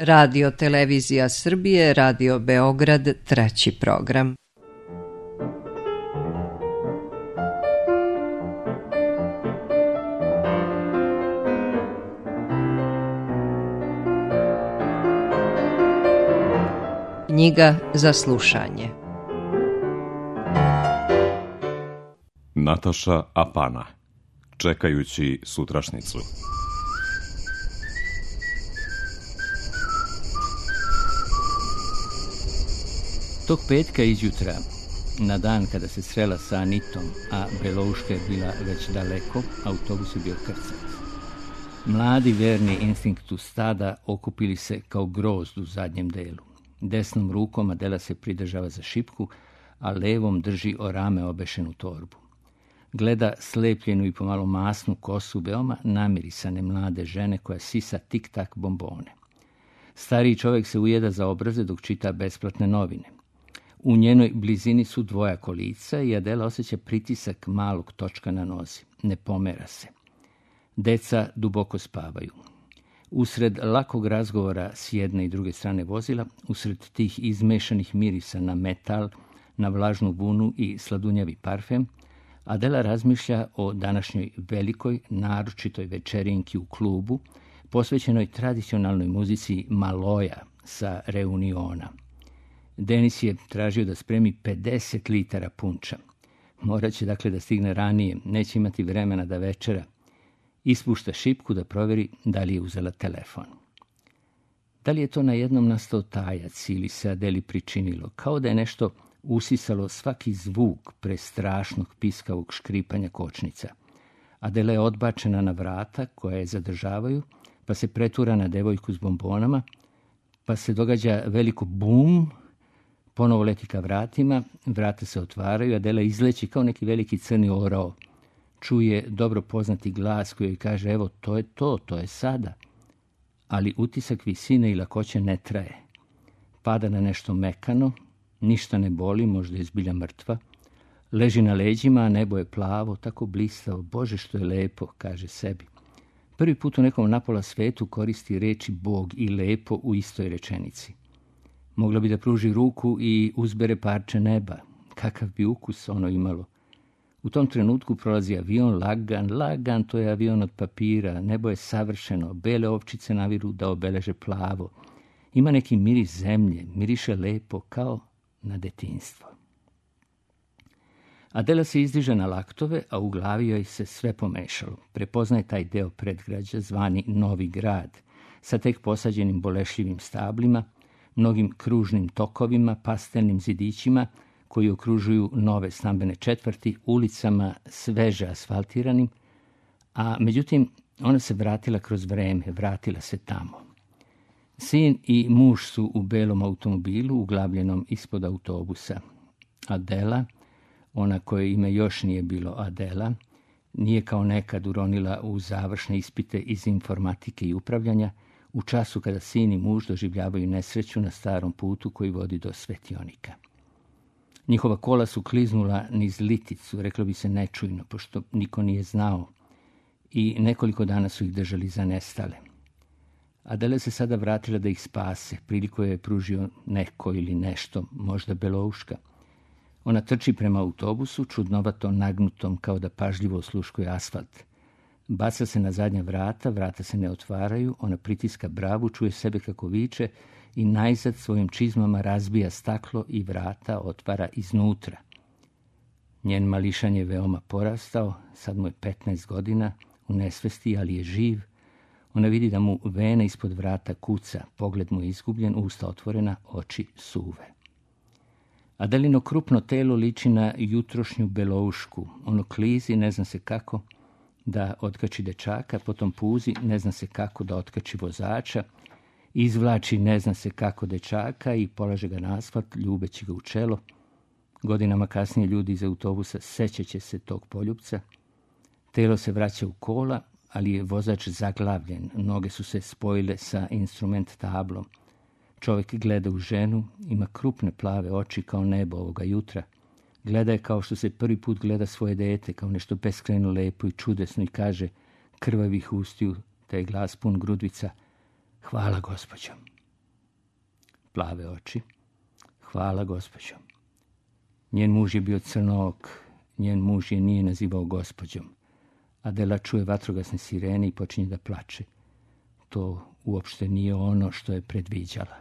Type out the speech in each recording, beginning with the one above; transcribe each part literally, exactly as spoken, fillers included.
Radio Televizija Srbije, Radio Beograd, treći program. Knjiga za slušanje. Nataša Apana. Čekajući sutrašnicu. Tog petka izjutra, na dan kada se srela sa Anitom, a Belouška je bila već daleko, autobus je bio krcat. Mladi verni instinktu stada okupili se kao grozd u zadnjem delu. Desnom rukom Adela se pridržava za šipku, a levom drži o rame obešenu torbu. Gleda slepljenu i pomalo masnu kosu veoma namirisane mlade žene koja sisa tik-tak bombone. Stariji čovjek se ujeda za obraze dok čita besplatne novine. U njenoj blizini su dvoja kolica i Adela osjeća pritisak malog točka na nozi. Ne pomera se. Deca duboko spavaju. Usred lakog razgovora s jedne i druge strane vozila, usred tih izmešanih mirisa na metal, na vlažnu vunu i sladunjavi parfem, Adela razmišlja o današnjoj velikoj, naročitoj večerinki u klubu, posvećenoj tradicionalnoj muzici Maloja sa Reuniona. Denis je tražio da spremi pedeset litara punča. Morat će dakle da stigne ranije, neće imati vremena da večera. Ispušta šipku da provjeri da li je uzela telefon. Da li je to na jednom nastao tajac ili se Adeli pričinilo, kao da je nešto usisalo svaki zvuk prestrašnog piskavog škripanja kočnica. Adela je odbačena na vrata koja je zadržavaju, pa se pretura na devojku s bombonama, pa se događa veliko bum, ponovo leti ka vratima, vrata se otvaraju, Adela izleći kao neki veliki crni orao. Čuje dobro poznati glas koji joj kaže, evo, to je to, to je sada. Ali utisak visine i lakoće ne traje. Pada na nešto mekano, ništa ne boli, možda je zbilja mrtva. Leži na leđima, a nebo je plavo, tako blistavo. Bože, što je lepo, kaže sebi. Prvi put u nekom napola svetu koristi reči Bog i lepo u istoj rečenici. Mogla bi da pruži ruku i uzbere parče neba. Kakav bi ukus ono imalo. U tom trenutku prolazi avion, lagan, lagan, to je avion od papira, nebo je savršeno, bele ovčice naviru da obeleže plavo. Ima neki miris zemlje, miriše lepo kao na detinjstvo. Adela se izdiže na laktove, a u glavi joj se sve pomešalo. Prepoznaje taj deo predgrađa zvani Novi grad, sa tek posađenim bolešljivim stablima, mnogim kružnim tokovima, pastelnim zidićima, koji okružuju nove stambene četvrti, ulicama sveže asfaltiranim, a međutim ona se vratila kroz vreme, vratila se tamo. Sin i muž su u belom automobilu, uglavljenom ispod autobusa. Adela, ona koje ime još nije bilo Adela, nije kao nekad uronila u završne ispite iz informatike i upravljanja, u času kada sin i muž doživljavaju nesreću na starom putu koji vodi do Svetionika. Njihova kola su kliznula niz liticu, reklo bi se nečujno, pošto niko nije znao, i nekoliko dana su ih držali za nestale. Adela se sada vratila da ih spase, priliku je pružio neko ili nešto, možda Belouška. Ona trči prema autobusu, čudnovato nagnutom kao da pažljivo osluškuje asfalt. Baca se na zadnja vrata, vrata se ne otvaraju, ona pritiska bravu, čuje sebe kako viče i najzad svojim čizmama razbija staklo i vrata otvara iznutra. Njen mališan je veoma porastao, sad mu je petnaest godina, u nesvesti, ali je živ. Ona vidi da mu vena ispod vrata kuca, pogled mu je izgubljen, usta otvorena, oči suve. Adelino krupno telo liči na jutrošnju Beloušku. Ono klizi, ne zna se kako da otkači dečaka, potom puzi, ne zna se kako da otkači vozača, izvlači ne zna se kako dečaka i polaže ga na asfalt, ljubeći ga u čelo. Godinama kasnije ljudi iz autobusa sećaće se tog poljupca. Telo se vraća u kola, ali je vozač zaglavljen, noge su se spojile sa instrument tablom. Čovjek gleda u ženu, ima krupne plave oči kao nebo ovoga jutra. Gleda je kao što se prvi put gleda svoje dete, kao nešto beskrajno lepo i čudesno i kaže krvavih ustiju, taj glas pun grudvica, hvala gospođo. plave oči. Hvala, gospođo. Njen muž je bio crnook, njen muž je nije nazivao gospođom. Adela čuje vatrogasne sirene i počinje da plače. To uopšte nije ono što je predviđala.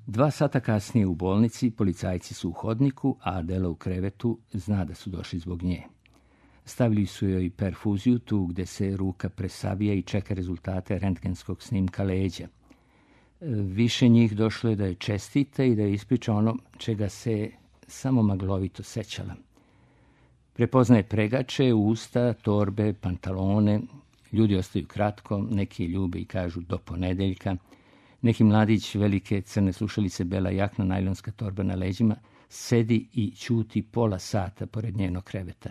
Dva sata kasnije u bolnici policajci su u hodniku, a Adela u krevetu zna da su došli zbog nje. Stavili su joj perfuziju tu gde se ruka presavija i čeka rezultate rentgenskog snimka leđa. Više njih došlo je da je čestita i da je ispriča ono čega se samo maglovito sećala. Prepoznaje pregače, usta, torbe, pantalone. Ljudi ostaju kratko, neki ljube i kažu do ponedeljka. Neki mladić, velike crne slušalice, bela jakna, najlonska torba na leđima, sedi i ćuti pola sata pored njenog kreveta.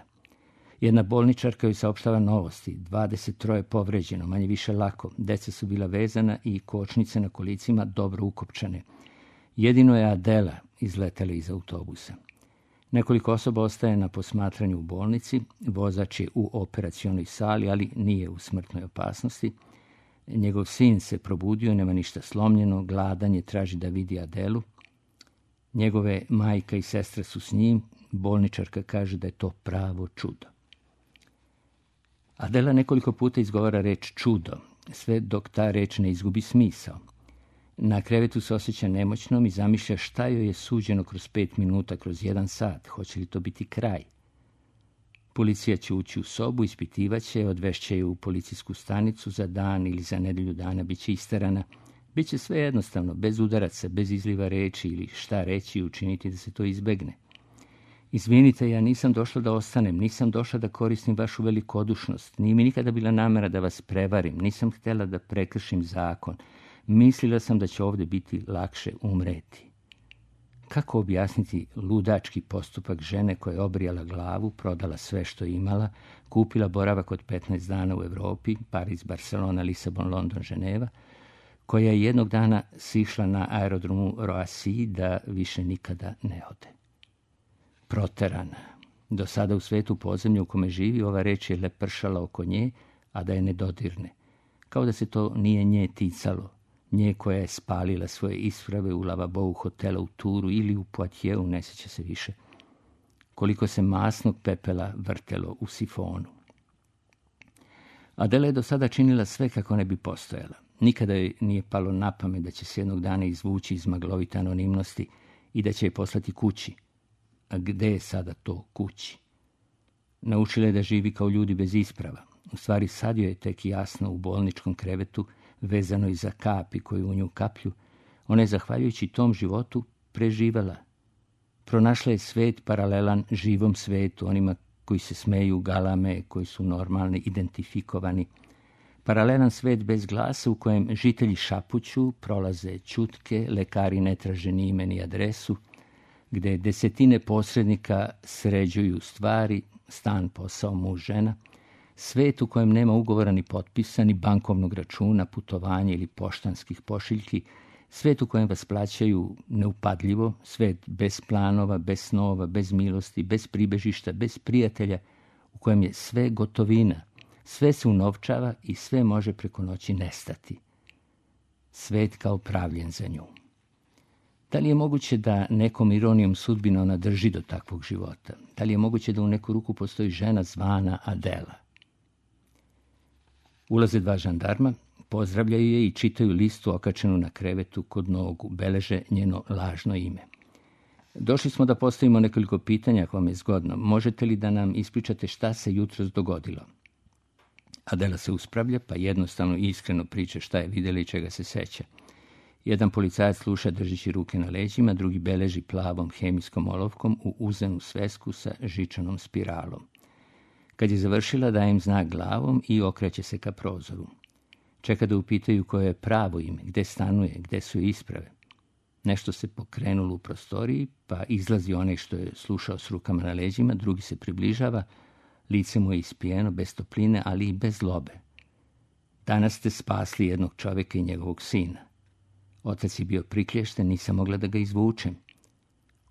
Jedna bolničarka joj saopštava novosti, dvadeset troje povređeno, manje više lako, deca su bila vezana i kočnice na kolicima dobro ukopčane. Jedino je Adela izletela iz autobusa. Nekoliko osoba ostaje na posmatranju u bolnici, vozač je u operacionoj sali, ali nije u smrtnoj opasnosti. Njegov sin se probudio, nema ništa slomljeno, gladan je, traži da vidi Adelu. Njegove majka i sestra su s njim, bolničarka kaže da je to pravo čudo. Adela nekoliko puta izgovara reč čudo, sve dok ta reč ne izgubi smisao. Na krevetu se osjeća nemoćnom i zamišlja šta joj je suđeno kroz pet minuta, kroz jedan sat. Hoće li to biti kraj? Policija će ući u sobu, ispitivaće, odvešće je u policijsku stanicu za dan ili za nedelju dana, bit će isterana. Biće sve jednostavno, bez udaraca, bez izliva reči ili šta reći i učiniti da se to izbegne. Izvinite, ja nisam došla da ostanem, nisam došla da koristim vašu velikodušnost, nije mi nikada bila namera da vas prevarim, nisam htjela da prekršim zakon. Mislila sam da će ovdje biti lakše umreti. Kako objasniti ludački postupak žene koja je obrijala glavu, prodala sve što je imala, kupila boravak od petnaest dana u Evropi, Pariz, Barcelona, Lisabon, London, Ženeva, koja je jednog dana sišla na aerodromu Roissy da više nikada ne ode. Proterana. Do sada u svetu podzemlju u kome živi, ova reč je lepršala oko nje, a da je ne dodirne. Kao da se to nije nje ticalo. Nje koja je spalila svoje isprave u lavabou hotela u Turu ili u Poitiers, ne sjeća se više. Koliko se masnog pepela vrtelo u sifonu. Adela je do sada činila sve kako ne bi postojala. Nikada joj nije palo na pamet da će se jednog dana izvući iz maglovite anonimnosti i da će je poslati kući. A gde je sada to kući? Naučila je da živi kao ljudi bez isprava. U stvari sad joj je tek jasno u bolničkom krevetu, vezano i za kapi koju u nju kaplju, ona je zahvaljujući tom životu preživela. Pronašla je svet paralelan živom svetu, onima koji se smeju, galame, koji su normalni, identifikovani. Paralelan svet bez glasa u kojem žitelji šapuću, prolaze ćutke, lekari ne traže ni ime ni adresu, gde desetine posrednika sređuju stvari, stan, posao, muž, žena, svet u kojem nema ugovora ni potpisa, ni bankovnog računa, putovanja ili poštanskih pošiljki, svet u kojem vas plaćaju neupadljivo, svet bez planova, bez snova, bez milosti, bez pribežišta, bez prijatelja, u kojem je sve gotovina, sve se unovčava i sve može preko noći nestati. Svet kao pravljen za nju. Da li je moguće da nekom ironijom sudbina ona drži do takvog života? Da li je moguće da u neku ruku postoji žena zvana Adela? Ulaze dva žandarma, pozdravljaju je i čitaju listu okačenu na krevetu kod nogu, beleže njeno lažno ime. Došli smo da postavimo nekoliko pitanja ako vam je zgodno. Možete li da nam ispričate šta se jutros dogodilo? Adela se uspravlja, pa jednostavno i iskreno priča šta je vidjela i čega se seća. Jedan policajac sluša držeći ruke na leđima, drugi beleži plavom hemijskom olovkom u uzenu svesku sa žičanom spiralom. Kad je završila, daje im znak glavom i okreće se ka prozoru. Čeka da upitaju koje je pravo ime, gde stanuje, gde su isprave. Nešto se pokrenulo u prostoriji, pa izlazi onaj što je slušao s rukama na leđima, drugi se približava, lice mu je ispijeno, bez topline, ali i bez zlobe. Danas ste spasli jednog čovjeka i njegovog sina. Otac je bio priklješten, nisam mogla da ga izvučem.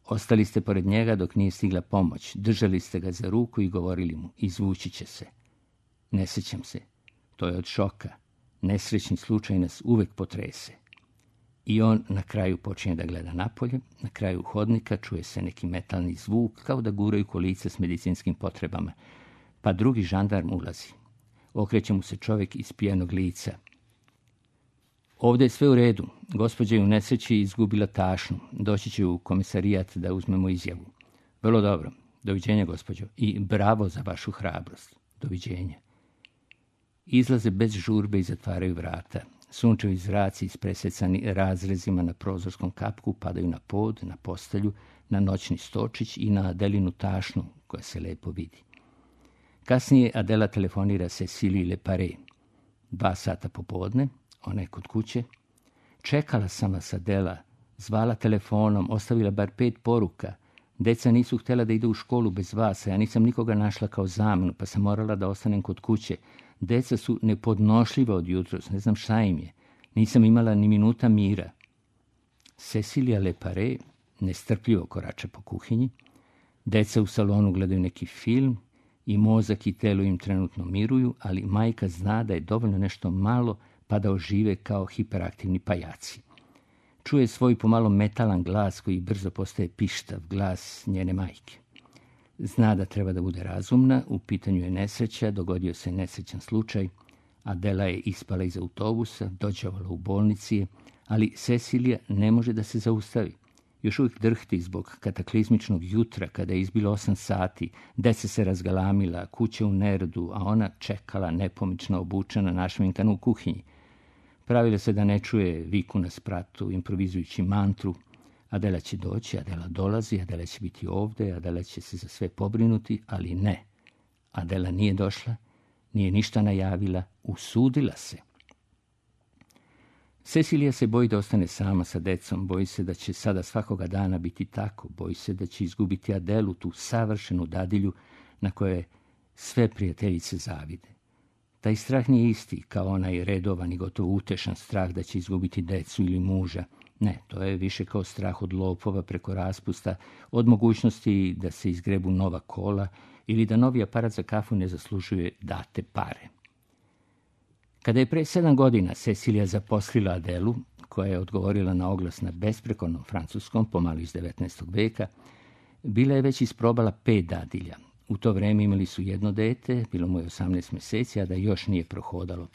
Ostali ste pored njega dok nije stigla pomoć. Držali ste ga za ruku i govorili mu, izvući će se. Ne sjećam se. To je od šoka. Nesrećni slučaj nas uvek potrese. I on na kraju počinje da gleda napolje, na kraju hodnika čuje se neki metalni zvuk, kao da guraju kolica s medicinskim potrebama. Pa drugi žandarm ulazi. Okreće mu se čovjek iz pijanog lica. Ovdje je sve u redu. Gospođa je u nesreći izgubila tašnu. Doći će u komisarijat da uzmemo izjavu. Vrlo dobro. Doviđenja, gospođo. I bravo za vašu hrabrost. Doviđenja. Izlaze bez žurbe i zatvaraju vrata. Sunčevi zraci ispresecani razrezima na prozorskom kapku padaju na pod, na postelju, na noćni stočić i na Adelinu tašnu koja se lepo vidi. Kasnije Adela telefonira Cecilii Leparé. Dva sata popodne, ona je kod kuće. Čekala sam vas, Adela, zvala telefonom, ostavila bar pet poruka. Deca nisu htjela da idu u školu bez vas, a ja nisam nikoga našla kao zamenu, pa sam morala da ostanem kod kuće. Deca su nepodnošljiva od jutros, ne znam šta im je. Nisam imala ni minuta mira. Cecilia Leparé nestrpljivo korača po kuhinji. Deca u salonu gledaju neki film i mozak i telo im trenutno miruju, ali majka zna da je dovoljno nešto malo pa da ožive kao hiperaktivni pajaci. Čuje svoj pomalo metalan glas koji brzo postaje pištav, glas njene majke. Zna da treba da bude razumna, u pitanju je nesreća, dogodio se nesrećan slučaj, Adela je ispala iz autobusa, dođavala u bolnici, ali Cecilija ne može da se zaustavi. Još uvijek drhti zbog kataklizmičnog jutra kada je izbilo osam sati, deca se razgalamila, kuća u neredu, a ona čekala nepomično obučena našminkana u kuhinji. Pravila se da ne čuje viku na spratu, improvizujući mantru. Adela će doći, Adela dolazi, Adela će biti ovdje, Adela će se za sve pobrinuti, ali ne. Adela nije došla, nije ništa najavila, usudila se. Cecilija se boji da ostane sama sa decom, boji se da će sada svakoga dana biti tako, boji se da će izgubiti Adelu, tu savršenu dadilju na koje sve prijateljice zavide. Taj strah nije isti kao onaj redovan i gotovo utešan strah da će izgubiti decu ili muža. Ne, to je više kao strah od lopova preko raspusta, od mogućnosti da se izgrebu nova kola ili da novi aparat za kafu ne zaslužuje date pare. Kada je pre sedam godina Cecilija zaposlila Adelu, koja je odgovorila na oglas na besprekornom francuskom, pomalo iz devetnaestog veka, bila je već isprobala pet dadilja. U to vreme imali su jedno dete, bilo mu je osamnaest mjeseci, a da još nije prohodalo.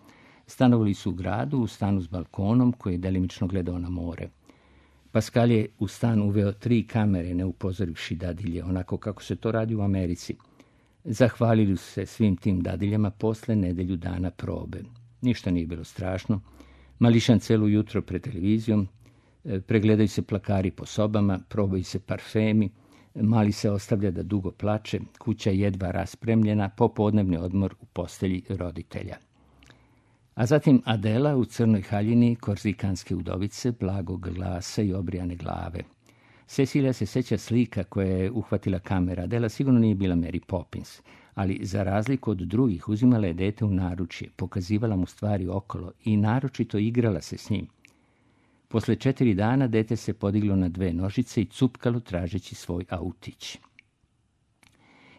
Stanovali su u gradu, u stanu s balkonom koji je delimično gledao na more. Pascal je u stan uveo tri kamere, ne upozorivši dadilje, onako kako se to radi u Americi. Zahvalili su se svim tim dadiljama posle nedelju dana probe. Ništa nije bilo strašno. Mališan celo jutro pred televizijom, pregledaju se plakari po sobama, probaju se parfemi, mali se ostavlja da dugo plače, kuća jedva raspremljena, popodnevni odmor u postelji roditelja. A zatim Adela u crnoj haljini, korzikanske udovice, blagog glasa i obrijane glave. Cecilija se seća slika koja je uhvatila kamera. Adela sigurno nije bila Mary Poppins, ali za razliku od drugih uzimala je dete u naručje, pokazivala mu stvari okolo i naročito igrala se s njim. Posle četiri dana dete se podiglo na dve nožice i cupkalo tražeći svoj autić.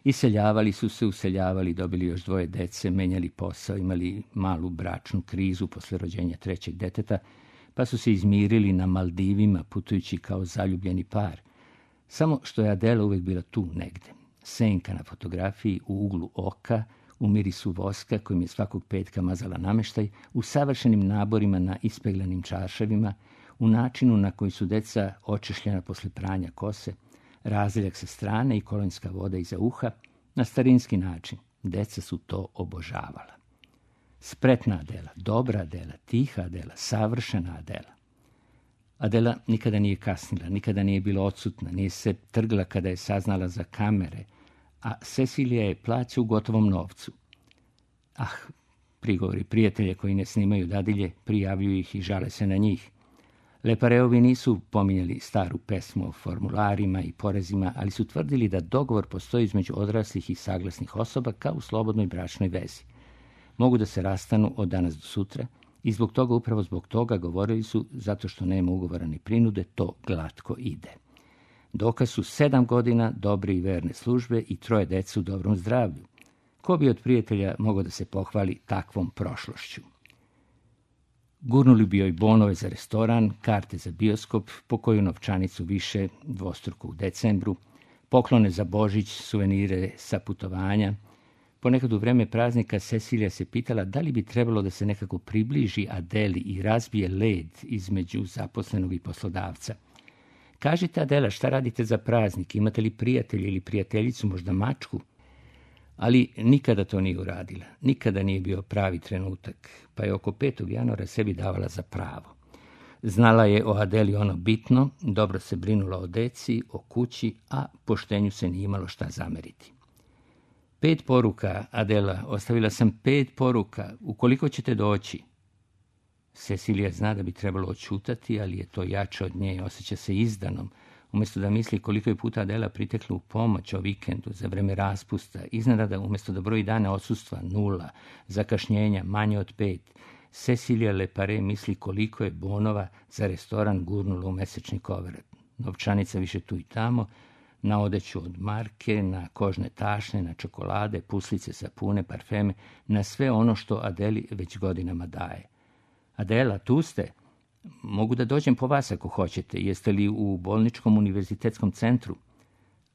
Iseljavali su se, useljavali, dobili još dvoje dece, menjali posao, imali malu bračnu krizu posle rođenja trećeg deteta, pa su se izmirili na Maldivima putujući kao zaljubljeni par. Samo što je Adela uvijek bila tu negde. Senka na fotografiji u uglu oka, u mirisu voska kojim je svakog petka mazala nameštaj, u savršenim naborima na ispeglanim čaršavima, u načinu na koji su deca očešljena posle pranja kose, razljak sa strane i kolonjska voda iza uha, na starinski način. Deca su to obožavala. Spretna Adela, dobra Adela, tiha Adela, savršena Adela. Adela nikada nije kasnila, nikada nije bila odsutna, nije se trgla kada je saznala za kamere, a Cecilija je plaća u gotovom novcu. Ah, prigovori prijatelje koji ne snimaju dadilje, prijavljuju ih i žale se na njih. Lepareovi nisu pominjali staru pesmu o formularima i porezima, ali su tvrdili da dogovor postoji između odraslih i saglasnih osoba kao u slobodnoj bračnoj vezi. Mogu da se rastanu od danas do sutra i zbog toga, upravo zbog toga, govorili su, zato što nema ugovora ni prinude, to glatko ide. Dokaz su sedam godina dobre i verne službe i troje dece u dobrom zdravlju. Ko bi od prijatelja mogao da se pohvali takvom prošlošću? Gurnuli bi joj bonove za restoran, karte za bioskop, po koju novčanicu više, dvostruku u decembru, poklone za Božić, suvenire sa putovanja. Ponekad u vreme praznika Cecilija se pitala da li bi trebalo da se nekako približi Adeli i razbije led između zaposlenog i poslodavca. Kažite, Adela, šta radite za praznik? Imate li prijatelja ili prijateljicu, možda mačku? Ali nikada to nije uradila. Nikada nije bio pravi trenutak, pa je oko petog januara sebi davala za pravo. Znala je o Adeli ono bitno, dobro se brinula o deci, o kući, a poštenju se nije imalo šta zameriti. Pet poruka, Adela, ostavila sam pet poruka, ukoliko ćete doći. Cecilija zna da bi trebalo odćutati, ali je to jače od nje, osjeća se izdanom. Umjesto da misli koliko je puta Adela pritekla u pomoć o vikendu, za vreme raspusta, iznenada umjesto da broji dane odsustva, nula, zakašnjenja, manje od pet, Cecilija Lepare misli koliko je bonova za restoran gurnula u mesečni koverat. Novčanica više tu i tamo, na odeću od marke, na kožne tašne, na čokolade, puslice, sapune, parfeme, na sve ono što Adeli već godinama daje. Adela, tu ste? Mogu da dođem po vas ako hoćete. Jeste li u bolničkom univerzitetskom centru?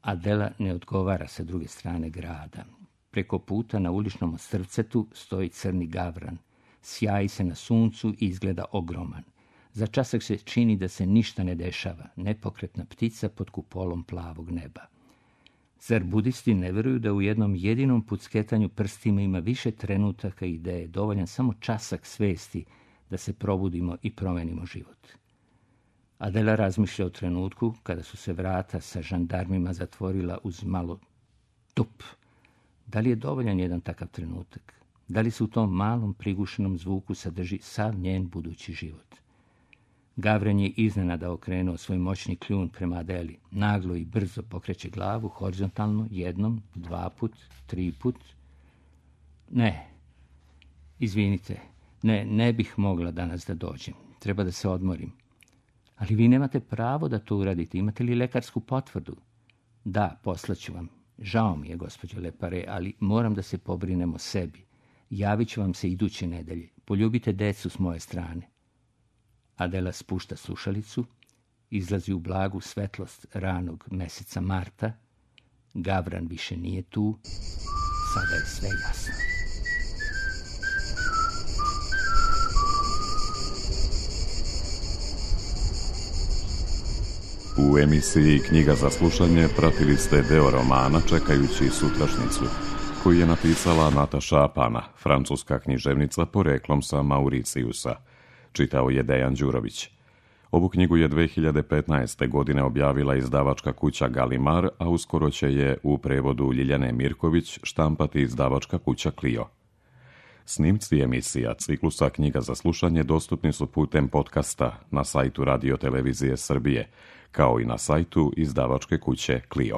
Adela ne odgovara sa druge strane grada. Preko puta na uličnom ostrvcetu stoji crni gavran. Sjaji se na suncu i izgleda ogroman. Za časak se čini da se ništa ne dešava. Nepokretna ptica pod kupolom plavog neba. Zar budisti ne veruju da u jednom jedinom pucketanju prstima ima više trenutaka i da je dovoljan samo časak svesti da se probudimo i promenimo život? Adela razmišlja o trenutku kada su se vrata sa žandarmima zatvorila uz malo tup. Da li je dovoljan jedan takav trenutak? Da li se u tom malom prigušenom zvuku sadrži sav njen budući život? Gavran je iznenada okrenuo svoj moćni kljun prema Adeli. Naglo i brzo pokreće glavu, horizontalno, jednom, dva put, tri put. Ne, izvinite, ne, ne bih mogla danas da dođem. Treba da se odmorim. Ali vi nemate pravo da to uradite. Imate li lekarsku potvrdu? Da, poslaću vam. Žao mi je, gospođo Lepare, ali moram da se pobrinem o sebi. Javit ću vam se iduće nedelje. Poljubite decu s moje strane. Adela spušta slušalicu, izlazi u blagu svetlost ranog meseca marta. Gavran više nije tu. Sada je sve jasno. U emisiji Knjiga za slušanje pratili ste deo romana Čekajući sutrašnjicu, koju je napisala Nataša Apana, francuska književnica poreklom sa Mauricijusa. Čitao je Dejan Đurović. Ovu knjigu je dve hiljade petnaeste. godine objavila izdavačka kuća Galimar, a uskoro će je u prevodu Ljiljane Mirković štampati izdavačka kuća Clio. Snimci emisija ciklusa Knjiga za slušanje dostupni su putem podcasta na sajtu Radio Televizije Srbije, kao i na sajtu izdavačke kuće Clio.